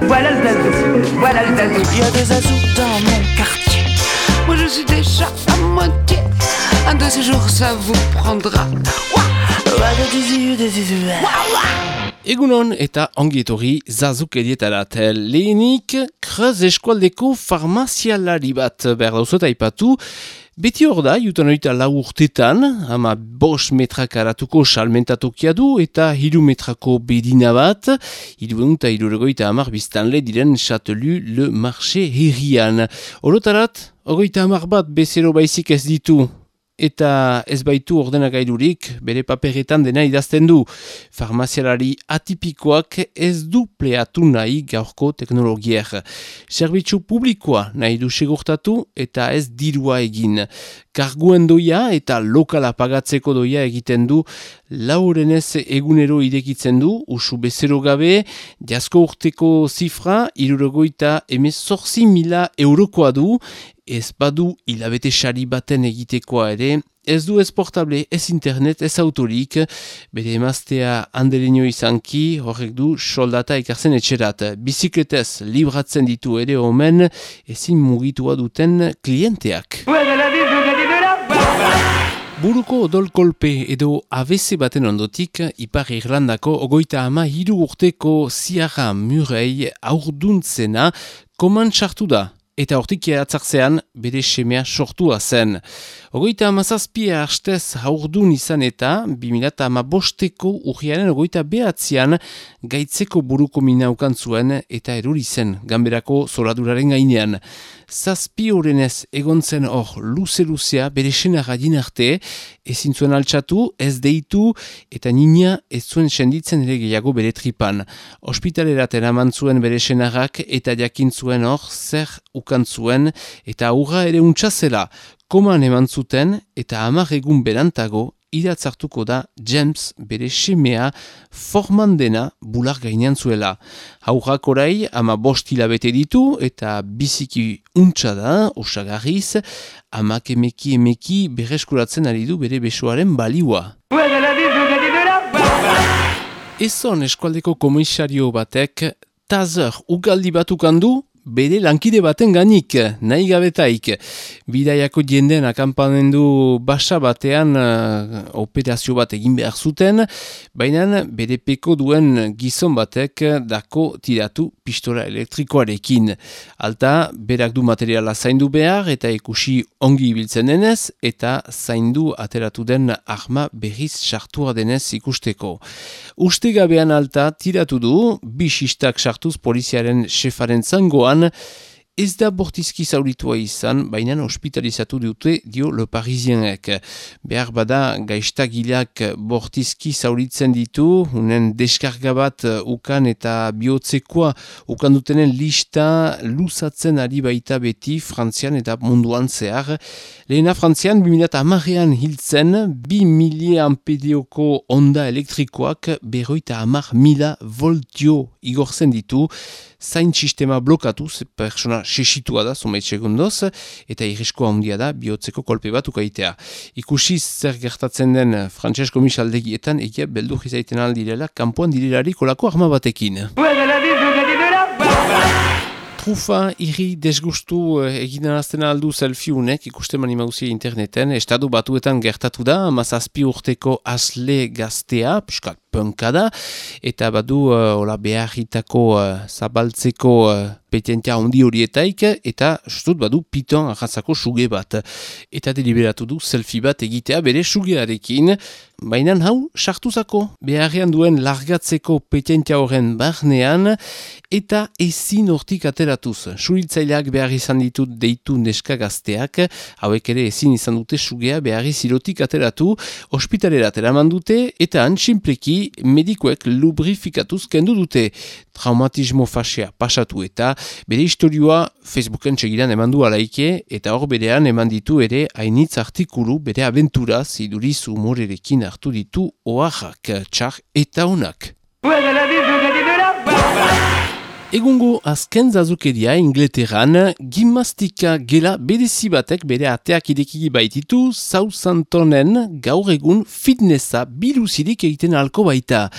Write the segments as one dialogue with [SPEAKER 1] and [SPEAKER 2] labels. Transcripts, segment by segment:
[SPEAKER 1] Voilà le zazou, voilà le zazou.
[SPEAKER 2] Il y a des zazous dans mon quartier. Moi je suis déjà à moitié. Un de ces jours ça vous prendra.
[SPEAKER 3] Egunon eta ongi etorri zazukerietarat. Lehenik, Kreuz eskualdeko farmazialari bat behar dauzot aipatu. Beti hor da, jutan horita 4 urtetan, ama 5 metrak aratuko salmentatokia du eta 3 metrako bedina bat, 350 biztanle diren Châtelu Le Marché herrian. Orotarat, 30 bat bezero baizik ez ditu. Eta ez baitu ordenagailurik bere paperetan dena idazten du. Farmazialari atipikoak ez du pleatu nahi gaurko teknologier. Zerbitzu publikoa nahi du segurtatu eta ez dirua egin. Karguen doia eta lokala pagatzeko doia egiten du, laurenez egunero irekitzen du, usu bezero gabe, jasko urteko zifra, 78.000 eurokoa du, ez badu hilabete sari baten egitekoa ere, ez du ez portable, ez internet, ez autorik, bere emaztea handereño izanki, horrek du soldata ekartzen etxerat. Bizikletez libratzen ditu ere omen, ezin mugitua duten klienteak. Buruko odol-kolpe edo ABC baten ondotik, Ipar Irlandako 33 urteko Ciara Murray aurduntzena koman sartu da. Eta hortik atzartzean bere semea sortua zen. 37 hastez haurdun izan eta 2015ko urriaren 29an gaitzeko buruko mina ukan zuen eta erori zen ganberako zoraduraren gainean. 7 horrenez egon zen hor luze-luzea bere senarra arte, ezin zuen altxatu, ez deitu eta nina ez zuen senditzen ere gehiago bere tripan. Hospitalerat eraman zuen bere senarrak eta jakin zuen hor zer ukan zuen eta aurra ere untsazela. Koman eman zuten eta 10 egun berantago idatzartuko da James bere semea forman dena bular gainean zuela. Haurrak orai 15 hilabete ditu eta biziki untsa da, osagarriz, amak emeki berreskuratzen ari du bere besoaren baliua. Ezon eskualdeko komisario batek tazer ugaldi batukan du, bere lankide baten ganik, nahi gabetaik. Bidaiako jendeen akampamendu basa batean operazio bat egin behar zuten, baina bere peko duen gizon batek dako tiratu pistola elektrikoarekin. Alta, berak du materiala zaindu behar eta ikusi ongi ibiltzen denez, eta zaindu ateratu den arma berriz sartua denez ikusteko. Ustegabean alta tiratu du, 2 xistak sartuz poliziaren xefaren zangoan, ez da bortizki zauritua izan, baina hospitalizatu dute dio Le Parisienek. Behar bada gaiztagileak bortizki zauritzen ditu, unen deskarga bat ukan eta bihotzekoa ukan dutenen lista luzatzen ari baita beti Frantzian eta munduan zehar. Lehena Frantzian 2010an hiltzen 2.000 ampereoko onda elektrikoak 50.000 voltio igortzen ditu, zain sistema blokatuz, persona sesitua da, zumeit segundoz, eta irriskoa handia da, bihotzeko kolpe bat ukaitea. Ikusiz zer gertatzen den frantses komisaldegietan, egia beldur izaiten aldirela, kanpoan direlari kolako arma batekin. Trufa irri desgustu egiten azten aldu selfie-unek, ikusten mani mauzia interneten, estatu batuetan gertatu da, 17 urteko asle gaztea, piskat punka da, eta badu beharritako zabaltzeko petentia handi horietaik, eta justut badu piton arratzako suge bat. Eta deliberatu du selfie bat egitea bere sugearekin, baina hau sartuzako beharrean duen largatzeko petentia horren barnean, eta ezin hortik ateratuz. Suhiltzaileak behar izan ditut deitu neska gazteak, hauek ere ezin izan dute sugea beharri zirotik ateratu, ospitalerat eraman dute, eta antxinpleki medikoek lubrifikatuz kendu dute. Traumatismo fasea pasatu eta bere historioa Facebooken txegiran eman du alaike, eta hor berean eman ditu ere hainitz artikulu bere abentura ziduriz humorerekin hartu ditu oaxak, txar eta onak. Egungo azken zazukeria Ingleterran, gimnastika gela berezi batek bere ateak idekiki baititu, Southamptonen gaur egun fitnessa biluzirik egiten alko baita.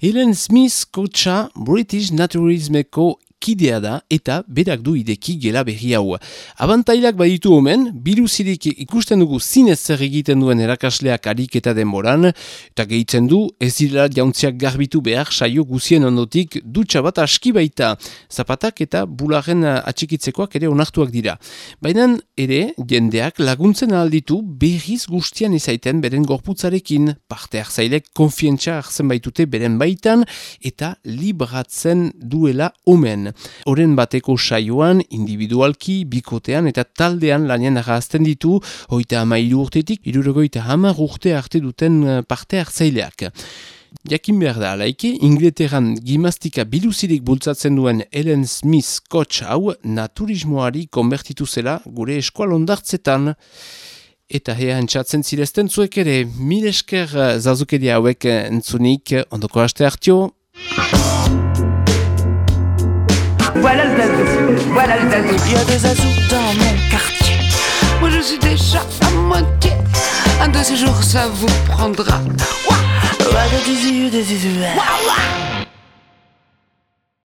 [SPEAKER 3] Helen Smith kotxa British Naturismeko kidea da eta berak du ideki gela berri hau. Abantailak baditu omen, biluzirik ikusten dugu zinez zer egiten duen erakasleak harik eta denboran, eta gehitzen du ez direla jauntziak garbitu behar saio guzien ondotik dutxa bat aski baita. Zapatak eta bularen atxikitzekoak ere onartuak dira. Baina ere, jendeak laguntzen alditu berriz guztian izaiten beren gorputzarekin, parte hartzailek konfientza hartzen baitute beren baitan eta libratzen duela omen. Oren bateko saioan, individualki, bikotean eta taldean lanean arrazten ditu, 33 urtetik, 70 urte arte duten parte hartzaileak. Jakin behar da alaike, Inglaterran gimnastika biluzirik bultzatzen duen Ellen Smith coach hau naturismoari konbertitu zela gure eskualondartzetan. Eta hea entzatzen zirezten zuek ere, mil esker zazukeria hauek entzunik, ondoko aste hartio.
[SPEAKER 1] Voilà le zazou, voilà le zazou.
[SPEAKER 2] Il y a des zazous dans mon quartier. Moi je suis déjà à moitié. Un de ces jours ça vous prendra. Ouah, ouah, des zizous, des zizous. Ouah, ouah.